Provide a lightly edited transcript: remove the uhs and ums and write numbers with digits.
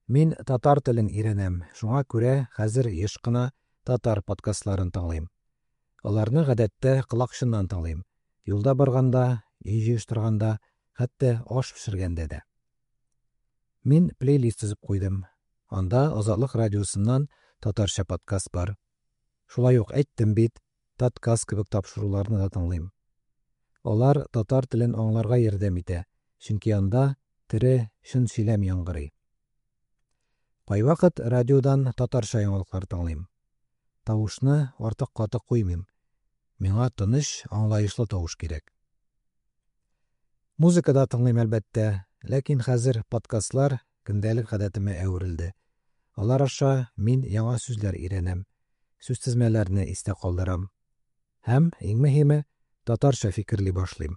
Мин татар телен өйрәнәм, шуңа күрә хәзер еш кына татар подкастларын тыңлыйм. Аларны гадәттә колакчыннан тыңлыйм. Юлда барганда, өй җыештырганда, хәтта аш пешергәндә дә. Мин плейлист төзеп куйдым. Анда Азатлык радиосыннан татарча подкаст бар. Шулай ук әйттем бит, Таткаст кебек тапшыруларны да тыңлыйм. Алар татар телен аңларга ярдәм итә, чөнки анда тере, чын сөйләм яңгырый. Кайвакыт радиодан татарча яңалыклар тыңлыйм. Тавышны артык каты куймыйм. Миңа тыныч, аңлаешлы тавыш кирәк. Музыка да тыңлыйм, әлбәттә, ләкин хәзер подкастлар көндәлек гадәтемә әверелде. Алар аша мин яңа сүзләр өйрәнәм, сүзтезмәләрне истә калдырам. Һәм, иң мөһиме, татарча фикерли башлыйм.